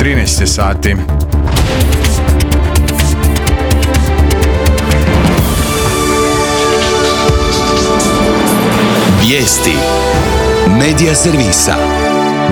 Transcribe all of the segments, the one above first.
13 sati. Vijesti Medija servisa.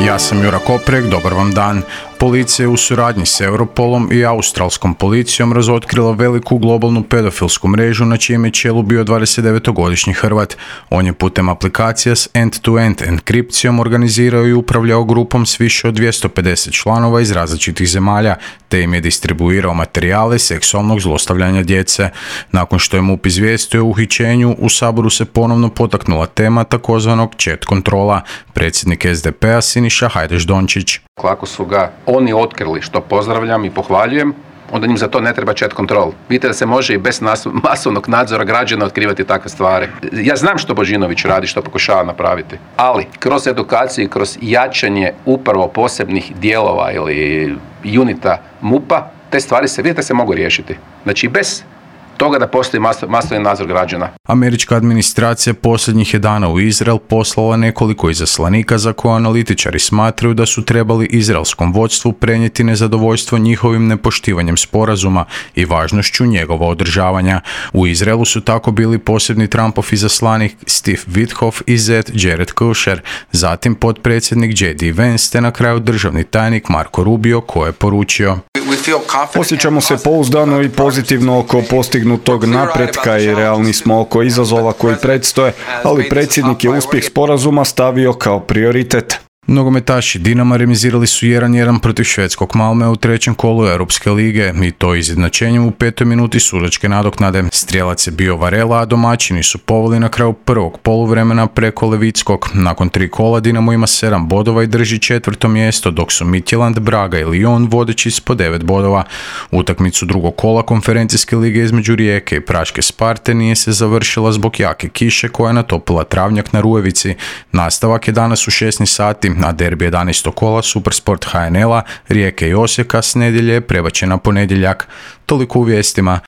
Ja sam Jura Koprek, dobar vam dan. Policija je u suradnji s Europolom i australskom policijom razotkrila veliku globalnu pedofilsku mrežu na čijem je čelu bio 29-godišnji Hrvat. On je putem aplikacija s end-to-end enkripcijom organizirao i upravljao grupom s više od 250 članova iz različitih zemalja, te im je distribuirao materijale seksualnog zlostavljanja djece. Nakon što je MUP izvijestio o uhićenju, u Saboru se ponovno potaknula tema takozvanog chat kontrola. Predsjednik SDP-a Siniša Hajdaš-Dončić. Ako su ga oni otkrili, što pozdravljam i pohvaljujem, onda njim za to ne treba chat control. Vidite da se može i bez masovnog nadzora građana otkrivati takve stvari. Ja znam što Božinović radi, što pokušava napraviti, ali kroz edukaciju i kroz jačanje upravo posebnih dijelova ili unita MUP-a, te stvari se, vidite, se mogu riješiti. Znači bez toga da postoji masovni nadzor građana. Američka administracija posljednjih je dana u Izrael poslala nekoliko izaslanika za koje analitičari smatraju da su trebali izraelskom vodstvu prenijeti nezadovoljstvo njihovim nepoštivanjem sporazuma i važnošću njegova održavanja. U Izraelu su tako bili posebni Trumpov izaslanik Steve Witkoff i zet Jared Kushner, zatim potpredsjednik J.D. Vance te na kraju državni tajnik Marco Rubio koji je poručio: Osjećamo se pouzdano i pozitivno oko postignutog napretka i realni smo oko izazova koji predstoje, ali predsjednik je uspjeh sporazuma stavio kao prioritet. Nogometaši Dinama remizirali su 1-1 protiv švedskog Malmea u trećem kolu Europske lige i to izjednačenjem u 5. minuti sudačke nadoknade. Strijelac je bio Varela, a domaćini su poveli na kraju prvog poluvremena preko Levickog. Nakon 3 kola Dinamo ima 7 bodova i drži 4. mjesto, dok su Midtjylland, Braga i Lyon vodeći s po 9 bodova. Utakmicu drugog kola konferencijske lige između Rijeke i Praške Sparte nije se završila zbog jake kiše koja je natopila travnjak na Rujevici. Nastavak je danas u 16 sati, a derbi 11. kola Supersport HNL-a, Rijeke i Osijeka s nedjelje je prebačen na ponedjeljak. Toliko u vijestima.